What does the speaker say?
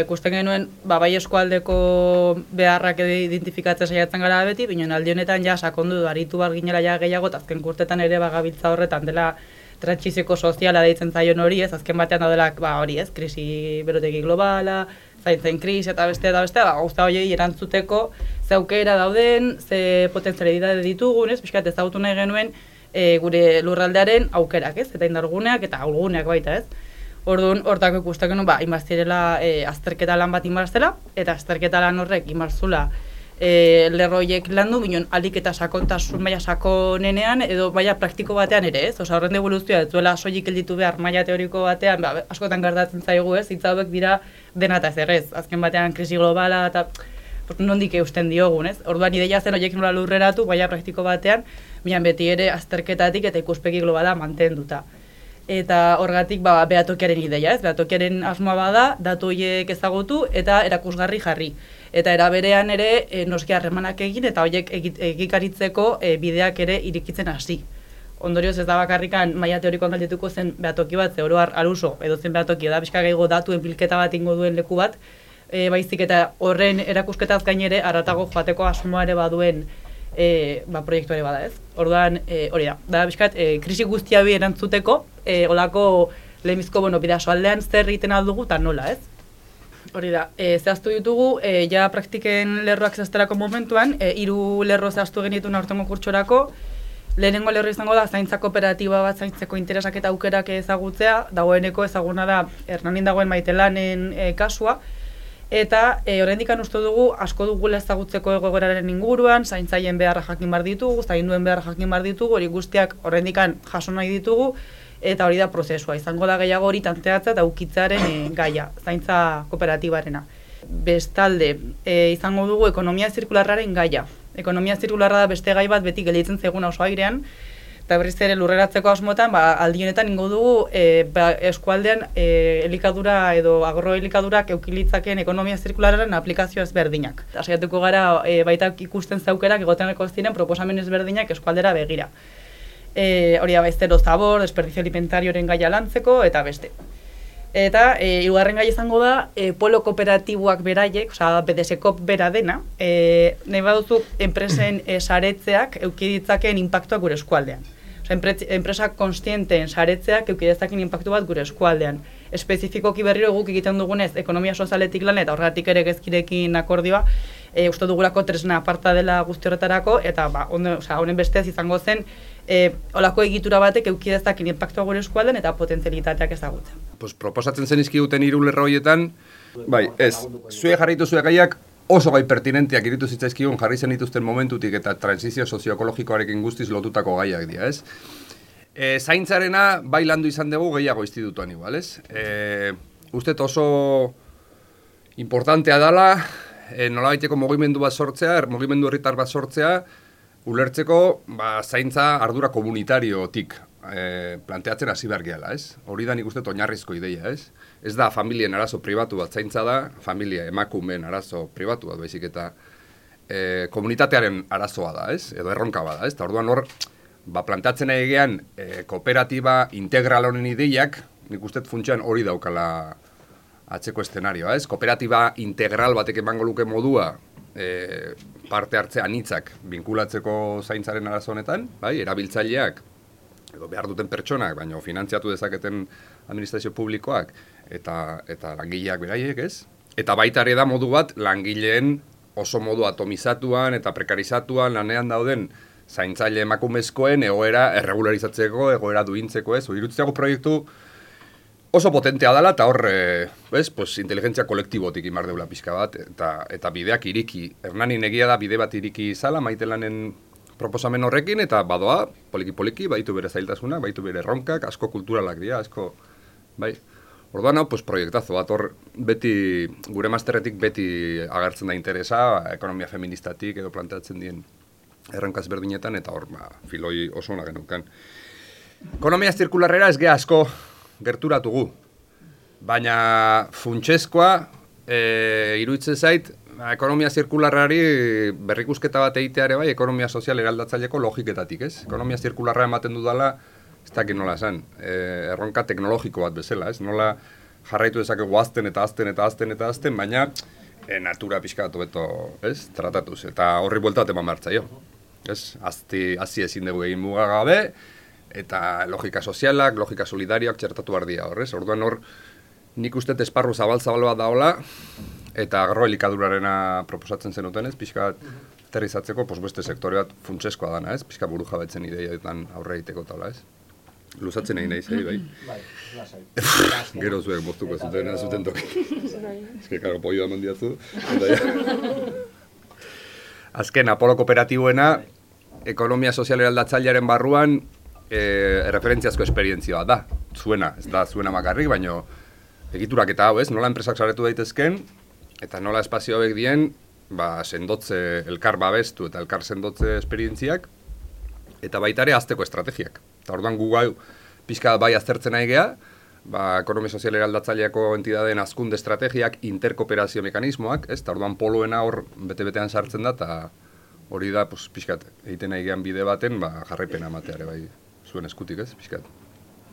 Ikusten genuen, bai eskualdeko beharrak identifikatzen saiatzen gara beti, baina aldi honetan ja sakondu aritu bar ginela ja gehiago, eta azken urtetan ere gabiltza horretan dela trantsizioko soziala deitzen zaion hori, ez, azken batean daudela, hori ez, krisi berotegi globala, zaintzen krisi eta beste, gauza horiei erantzuteko ze aukera dauden, ze potentzialidade ditugun, ez, pixkat ezagutu nahi genuen gure lurraldearen aukerak, ez, eta indarguneak eta ahulguneak baita, ez. Orduan, hortako ikusten genuen, inbaztirela azterketa lan bat inbarzela, eta azterketa lan horrek inbarzula lerroiek landu, ginen alik eta sakontasun maila sakonenean, edo maila praktiko batean ere, ez? Osa, horren devoluzioa, ez duela soilik elditu behar maila teoriko batean, askotan gertatzen zaigu, ez? Hitz hauek dira dena eta ezer, ez? Azken batean krisi globala eta nondik eusten diogun, ez? Orduan, ideia zen horiek nola lurreratu, maila praktiko batean, minan beti ere azterketatik eta ikuspegi globala mantenduta. Eta horgatik behatokiaren ideia, ez? Behatokiaren asmoa bada, datu horiek ezagutu eta erakusgarri jarri. Eta eraberean ere noski harremanak egin eta horiek egikaritzeko bideak ere irikitzen hasi. Ondorioz ez da bakarrikan maila teorikoan galdetuko zen behatoki bat, ze oro har aluso edo zen behatoki da bizka gehiago datuen bilketa bat ingo duen leku bat, baizik eta horren erakusketaz gain ere haratago joateko asmoa ere baduen proiektu ere bada, ez? Orduan, hori da bizkat, krisi guztia bi erantzuteko, olako lehenbizko bidasoaldean zer egiten aldugu eta nola, ez? Hori da, zehaztu ditugu, ja praktiken lerroak zehazterako momentuan, 3 lerro zehaztu genituen aurtengo kurtsorako. Lehenengo lerro izango da, zaintza kooperatiba bat zaintzeko interesak eta aukerak ezagutzea, dagoeneko ezaguna da Hernanin dagoen Maitelanen kasua, eta oraindik uste dugu asko dugula ezagutzeko egoeraren inguruan, zaintzaien beharra jakin behar ditugu, zainduen beharra jakin behar ditugu, hori guztiak oraindik jaso nahi ditugu, eta hori da prozesua, izango da gehiago hori tanteatza eta ukitzaren gaia, zaintza kooperatibarena. Bestalde, izango dugu ekonomia zirkularraren gaia. Ekonomia zirkularra da beste gai bat beti gelditzen zaiguna oso airean, eta berriz ere lurreratzeko asmotan, aldi honetan ingo dugu eskualdean elikadura edo agroelikadurak eukilitzakeen ekonomia zirkularraren aplikazio ezberdinak. Saiatuko gara baita ikusten zaukerak egoteneko ziren proposamen ezberdinak eskualdera begira. Hori da baiztero zabor, desperdizio alimentarioren gaia lantzeko eta beste. Eta hirugarren gai izango da polo kooperatiboak beraiek, osea BDSkop bera dena, nahi baduzu enpresen saretzeak eduki ditzakeen inpaktuak gure eskualdean. Osea enpresa konstienteen saretzeak eduki dezakeen inpaktu bat gure eskualdean. Espezifikoki berriro guk egiten dugunez ekonomia sozialetik lan eta horregatik ere gezkirekin akordioa, uste dugulako tresna aparta dela guzti horretarako eta honen bestez izango zen olako egitura batek eduki dezaken inpaktua gure eskualdean eta potentzialitateak ezagutzen. Proposatzen zen izkiguten 3 lerro horietan, zuek jarri dituzue gaiak oso gai pertinenteak iritu zitzaizkigun jarri zen dituzten momentutik eta transizio sozioekologikoarekin guztiz lotutako gaiak dira, ez? Zaintzarena bai landu izan dugu gehiago institutuan igual, ez? Ustet oso importantea dela, nolabaiteko mugimendu bat sortzea, mugimendu herritar bat sortzea, ulertzeko zaintza ardura komunitariotik planteatzen hasi behar gehala, ez? Hori da nik uste oinarrizko ideia, ez? Ez da familien arazo pribatu bat zaintza da, familia emakumeen arazo pribatu bat, baizik eta komunitatearen arazoa da, ez? Edo erronka bada, ez? Eta orduan hor, planteatzen egean kooperatiba integral honen ideiak, nik uste funtsean hori daukala atzeko eszenarioa, ez? Kooperatiba integral batek emango luke modua, parte hartzea anitzak binkulatzeko zaintzaren arazo honetan, erabiltzaileak edo behar duten pertsonak, baina finantziatu dezaketen administrazio publikoak eta langileak beraiek, ez? Eta baita ere da modu bat langileen oso modu atomizatuan eta prekarizatuan lanean dauden zaintzaile emakumezkoen egoera erregularizatzeko, egoera duintzeko, ez? Iruditzago proiektu oso potentea dela eta hor, inteligentzia kolektibotik imar deula pixka bat, eta bideak iriki. Hernanin egia da bide bat iriki izala, Maitelanen proposamen horrekin, eta badoa, poliki-poliki, baitu bere zailtasunak, baitu bere erronkak, asko kulturalak dira, asko, bai. Orduan hau, proiektazo bat, hor beti, gure masterretik beti agertzen da interesa, ekonomia feministatik edo planteatzen dien erronkaz berdinetan, eta hor, filoi oso ona genukan. Ekonomia zirkularrera ez geha asko gerturatugu, baina funtsezkoa iruditzen zait, ekonomia zirkularrari berrikusketa bat egiteare bai, ekonomia sozial eraldatzaileko logiketatik, ez? Ekonomia zirkularra ematen dudala, ez dakit nola esan, erronka teknologiko bat bezala, ez? Nola jarraitu dezakegu azten eta azten eta azten eta azten, baina natura pixka bat hobeto, ez, tratatuz, eta horri buelta bat eman behar zaio. Ez, hazi ezin dugu egin mugagabe, eta logika sozialak, logika solidarioak txertatu behar dira horrez. Orduan hor, nik uste esparru zabal-zabal bat daola, eta agarro elikadurarena proposatzen zenuten ez, pixka bat aterrizatzeko, beste sektore bat funtseskoa dana ez, pixka buru jabetzen ideietan aurre egiteko taula ez. Luzatzen egin nahi bai. Gero zuek moztuko zuten toki. Ez que, karo, pollo eman diazu. Azken, Apolo kooperatiboena, ekonomia sozial eraldatzailearen barruan, referentziazko esperientzioa da. Zuena, ez da zuena makarrik, baino egiturak eta hau ez, nola enpresak saretu daitezken, eta nola espazio hauek dien, sendotze, elkar babestu eta elkar sendotze esperientziak, eta baita ere azteko estrategiak. Eta orduan gu gau pixka bai aztertzen nahi geha, ekonomia sozial eraldatzaileako entidadeen hazkunde estrategiak, interkooperazio mekanismoak, ez? Eta orduan poloena hor bete-betean sartzen da, eta hori da pixkat egiten nahi gehan bide baten jarraipena emateare bai zuen eskutik, ez? Pixkat.